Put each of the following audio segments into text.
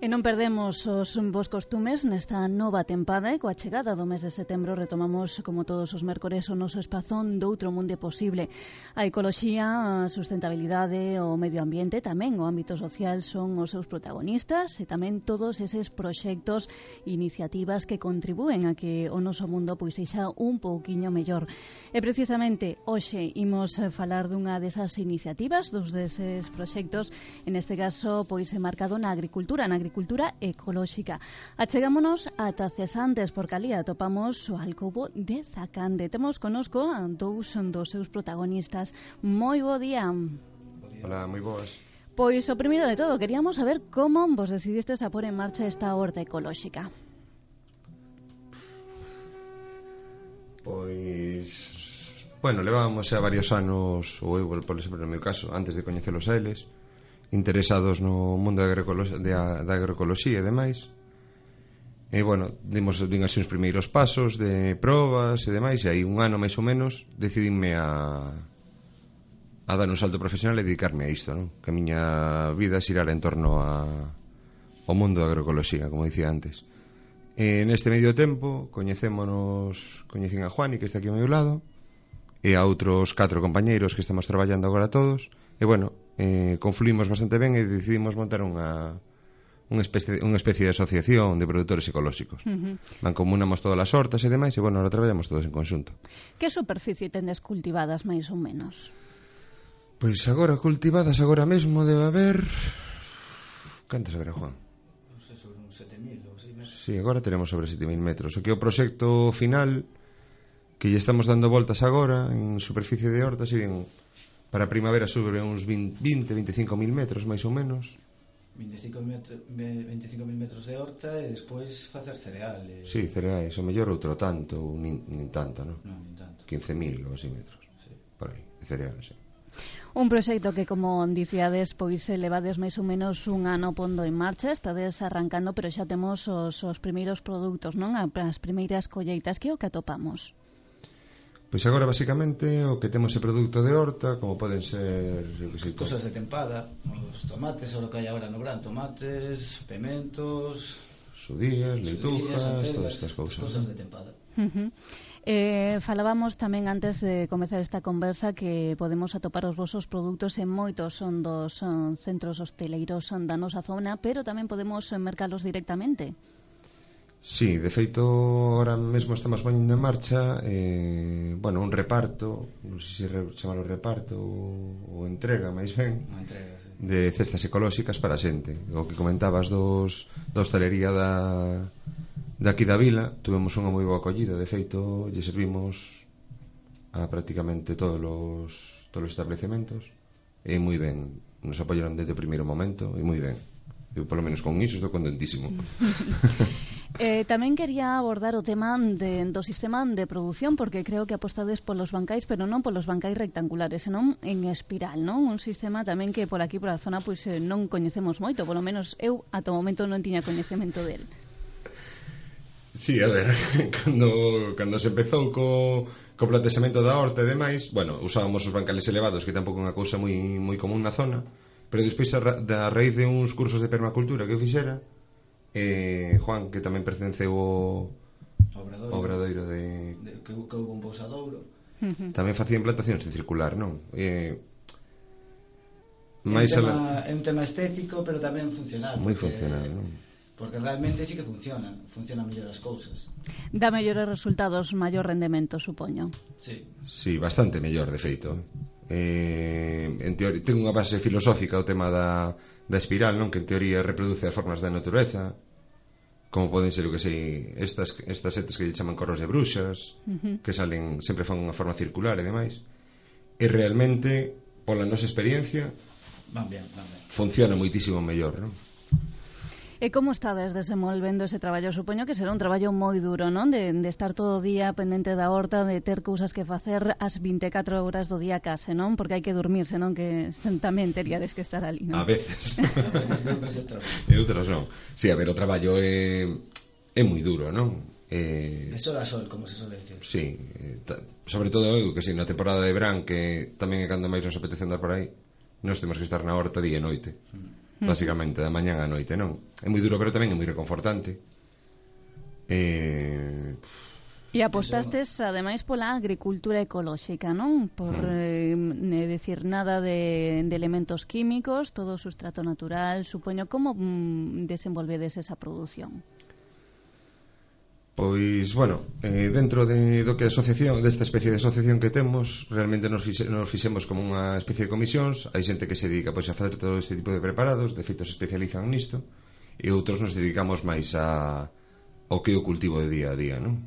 E non perdemos os bons costumes nesta nova tempada e coa chegada do mes de setembro retomamos, como todos os mércores, o noso espazón do outro mundo posible. A ecoloxía, a sustentabilidade, o medio ambiente, tamén o ámbito social son os seus protagonistas e tamén todos eses proxectos e iniciativas que contribúen a que o noso mundo pois sexa un pouquiño mellor. E precisamente hoxe imos falar dunha desas iniciativas, dos deses proxectos, en este caso pois enmarcado na agricultura ecolóxica. Achegámonos ata Cesantes, porque ali atopamos o alcobo de Zacande. Temos conosco a dous dos seus protagonistas. Moi bo día. Hola, moi boas. Pois o primeiro de todo, queríamos saber como vos decidistes a pôr en marcha esta horta ecolóxica. Pois, bueno, levábamos xa varios anos, ou eu, por exemplo, no meu caso, antes de coñecelos a eles, interesados no mundo da agroecoloxía e demais. E, bueno, dimos así uns primeiros pasos de probas e demais, e aí un ano máis ou menos decidinme a dar un salto profesional e dedicarme a isto, non? Que a miña vida xirara en torno ao mundo da agroecoloxía, como dicía antes. E neste medio tempo coñecín a Juani, que está aquí ao meu lado, e a outros 4 compañeiros que estamos traballando agora todos, e, bueno, confluímos bastante ben e decidimos montar unha especie de asociación de produtores ecolóxicos. Mancomunamos todas as hortas e demais, e, bueno, ahora traballamos todos en conxunto. Que superficie tendes cultivadas máis ou menos? Pois agora cultivadas agora mesmo debe haber... Cantas haberá, Juan? Non sei, sobre uns 7.000 ou 6 metros. Sí, agora teremos sobre 7.000 metros. O que é o proxecto final que lle estamos dando voltas agora en superficie de hortas serían para a primavera sobre uns 20-25.000 metros máis ou menos. 25.000 metros de horta e despois facer cereales. Sí, cereais, o mellor outro tanto ou nin tanto, non? Non, nin tanto. 15.000 ou así metros, Sí. por aí, de cereales, sí. Un proxecto que, como dicíades, pois levades máis ou menos un ano pondo en marcha, estades arrancando, pero xa temos os primeiros produtos, non? As primeiras colleitas. Que é o que atopamos? Pois agora, basicamente, o que temos é produto de horta, como poden ser... Cosas de tempada, os tomates, o que hai agora no verán, tomates, pementos... Sudías, leitujas, todas estas cousas. Cosas de tempada. Falábamos tamén antes de comezar esta conversa que podemos atopar os vosos produtos en moitos dos centros hosteleiros da nosa zona, pero tamén podemos mercalos directamente. Sí, de feito, ahora mesmo estamos poñendo en marcha bueno, un reparto, non sei se chamalo reparto ou entrega, máis ben, Sí. de cestas ecolóxicas para a xente. O que comentabas da hostalería de aquí da vila, tuvemos unha moi boa acollida. De feito, lle servimos a prácticamente todos os establecementos, e moi ben, nos apoyaron desde o primeiro momento, e moi ben. Eu, polo menos con iso, estou contentísimo. Tamén quería abordar o tema do sistema de produción, porque creo que apostades polos bancais, pero non polos bancais rectangulares, senón en espiral, non? Un sistema tamén que por aquí, por a zona, pois non coñecemos moito, polo menos eu ata o momento non tiña coñecemento del. Sí, a ver, cando se empezou co plantexamento da horta e demais, bueno, usábamos os bancales elevados, que tampouco é unha cousa moi común na zona, pero despois a raíz de uns cursos de permacultura que eu fixera, Juan, que tamén pertenceu ao obradoiro que houve un pousadouro, tamén facían plantacións en circular, non? É un tema estético, pero tamén funcional. Moi funcional, non? Porque realmente sí que funcionan mellor as cousas. Dá mellores resultados, maior rendemento, supoño. Sí, bastante mellor, de feito. En teoría, ten unha base filosófica o tema da espiral, non? Que en teoría reproduce as formas da natureza, como poden ser, o que sei, estas setas que lle chaman corros de bruxas, que salen, sempre fan unha forma circular e demais. E realmente, pola nosa experiencia, van ben. Funciona moitísimo mellor, non? E como estades desenvolvendo ese traballo? Supoño que será un traballo moi duro, non? De estar todo o día pendente da horta, de ter cousas que facer as 24 horas do día case, non? Porque hai que dormirse, non? Que tamén teríades que estar ali, non? A veces. E outras non. Sí, a ver, o traballo é moi duro, non? De sol a sol, como se suele decir. Sí, sobre todo eu, que si na temporada de verán, que tamén é cando máis nos apetece andar por aí, nós temos que estar na horta día e noite. basicamente, da mañán á noite, non? É moi duro, pero tamén é moi reconfortante. E apostastes, ademais, pola agricultura ecolóxica, non? Por decir nada de elementos químicos, todo o sustrato natural, supoño. Como desenvolvedes esa produción? Pois, bueno, dentro do que a asociación, desta especie de asociación que temos, realmente nos fixemos como unha especie de comisións. Hai xente que se dedica pois a facer todo este tipo de preparados, de feito se especializan nisto, e outros nos dedicamos máis ao que é o cultivo de día a día, non?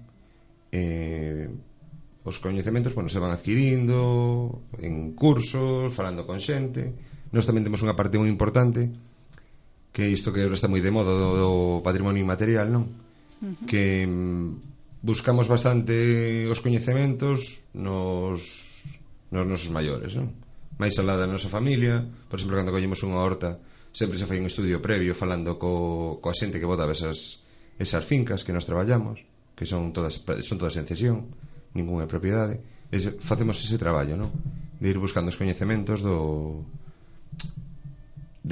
Os coñecementos, bueno, se van adquirindo en cursos, falando con xente. Nós tamén temos unha parte moi importante, que é isto que agora está moi de moda do patrimonio inmaterial, non? Que buscamos bastante os coñecementos nos nosos maiores, non? Máis alá da nosa familia. Por exemplo, cando collemos unha horta, sempre se fai un estudio previo falando coa xente que botaba esas fincas que nos traballamos, que son todas en cesión, ningunha é propiedade. Facemos ese traballo, non? De ir buscando os coñecementos de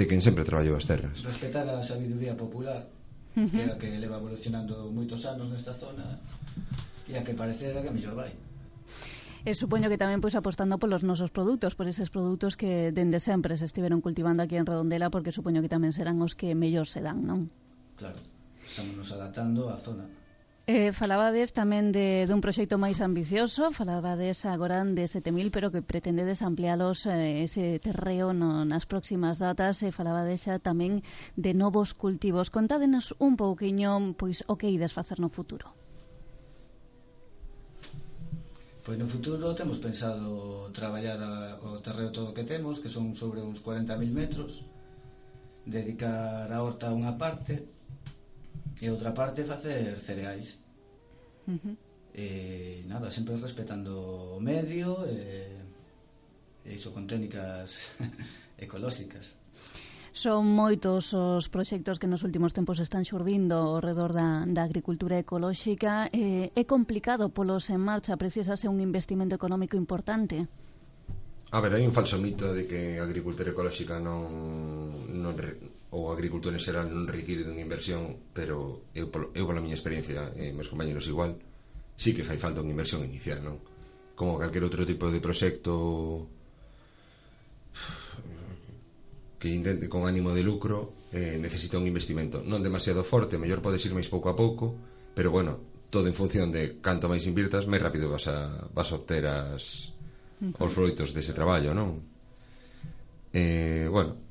quen sempre traballou as terras. Respetar a sabiduría popular, que é a que leva evolucionando moitos anos nesta zona, e a que parecera que mellor vai. E supoño que tamén pois apostando polos nosos produtos, por eses produtos que dende sempre se estiveron cultivando aquí en Redondela, porque supoño que tamén serán os que mellor se dan, non? Claro, estamos nos adaptando á zona. Falabades tamén dun proxecto máis ambicioso, falabades agora de 7.000, pero que pretendedes amplialos ese terreo nas próximas datas, e falabades xa tamén de novos cultivos. Contádenos un pouquiño pois o que ides facer no futuro. Pois no futuro temos pensado traballar o terreo todo que temos, que son sobre uns 40.000 metros, dedicar a horta a unha parte, e outra parte facer cereais. E nada, sempre respetando o medio e iso con técnicas ecolóxicas. Son moitos os proxectos que nos últimos tempos están xurdindo ao redor da agricultura ecolóxica. É complicado polos en marcha, precisase un investimento económico importante? A ver, hai un falso mito de que a agricultura ecolóxica ou a agricultura en xeral non require dunha inversión, pero eu pola miña experiencia, meus compañeros igual, sí que fai falta unha inversión inicial, non? Como calquer outro tipo de proxecto que intente con ánimo de lucro, necesita un investimento non demasiado forte, mellor podes ir máis pouco a pouco, pero bueno, todo en función de canto máis invirtas, máis rápido vas a obter os froitos dese traballo, non? Bueno,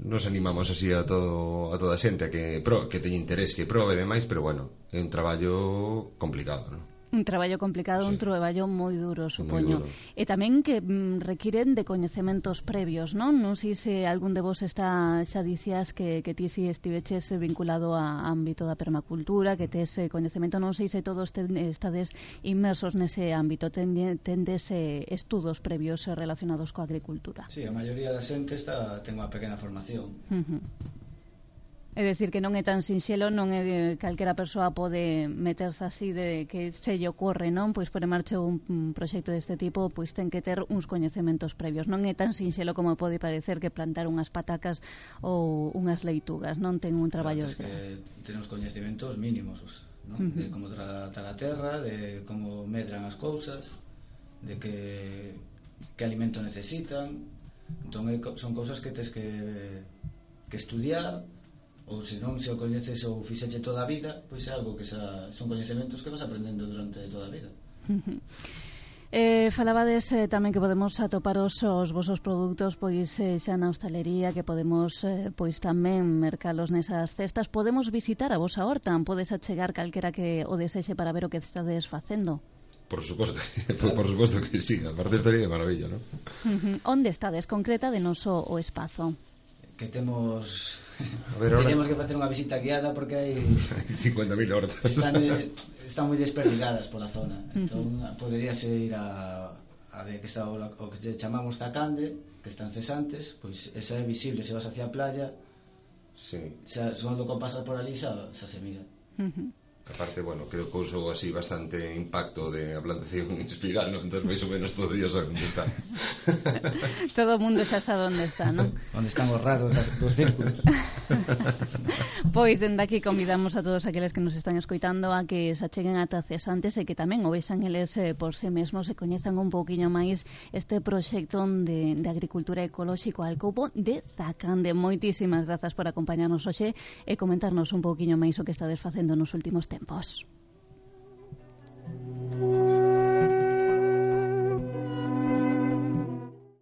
nos animamos así a toda a xente a que teña interés, que probe e demais, pero bueno, é un traballo complicado, non? Un traballo complicado, sí. Un traballo moi duro, supoño. Moi duro. E tamén que requiren de coñecementos previos, non? Non sei se algún de vos xa dicías que ti si estiveches vinculado a ámbito da permacultura, que tes coñecemento, non sei se todos estades inmersos nese ámbito, tendes estudos previos relacionados coa agricultura. Sí, a maioría da xente ten unha pequena formación. É dicir, que non é tan sinxelo, non é calquera persoa pode meterse así de que se lle ocorre, non? Pois por en marcha un proxecto deste tipo, pois ten que ter uns coñecementos previos. Non é tan sinxelo como pode parecer que plantar unhas patacas ou unhas leitugas, non? Ten un traballo detrás. Que ten uns coñecementos mínimos, non? De como tratar a terra, de como medran as cousas, de que alimento necesitan. Entón son cousas que tes que estudiar, ou se non se o coñeces ou fixeche toda a vida, pois é algo que son coñecementos que vas aprendendo durante toda a vida. Falabades tamén que podemos atopar os vosos produtos pois xa na hostalería, que podemos pois tamén mercalos nesas cestas. Podemos visitar a vosa horta, podes achegar calquera que o desexe para ver o que estades facendo? Por suposto, por suposto que sí, aparte estaría de maravilla, non? Onde estades? Concreta de noso o espazo. Que temos ahora... teníamos que facer unha visita guiada porque hai 50.000 hortas están moi desperdigadas pola zona. Entón poderíase ir a de que está o que chamamos Zacande, que están cesantes, pois esa é visible se vas hacia a playa. Sí. Xa, cando pasas por ali xa se mira. Aparte, bueno, creo que usou así bastante impacto de a plantación en espiral, ¿no? Entón, máis ou menos todo Dios sabe onde está. Todo o mundo xa sabe onde está, non? Onde están os raros dos círculos. Pois, dende aquí convidamos a todos aqueles que nos están escoitando a que se acheguen ata Cesantes e que tamén o vexan eles por si mesmos e coñezan un pouquiño máis este proxecto de agricultura ecolóxico Alcobo de Zacande. Moitísimas grazas por acompañarnos hoxe e comentarnos un pouquiño máis o que estades facendo nos últimos tempos.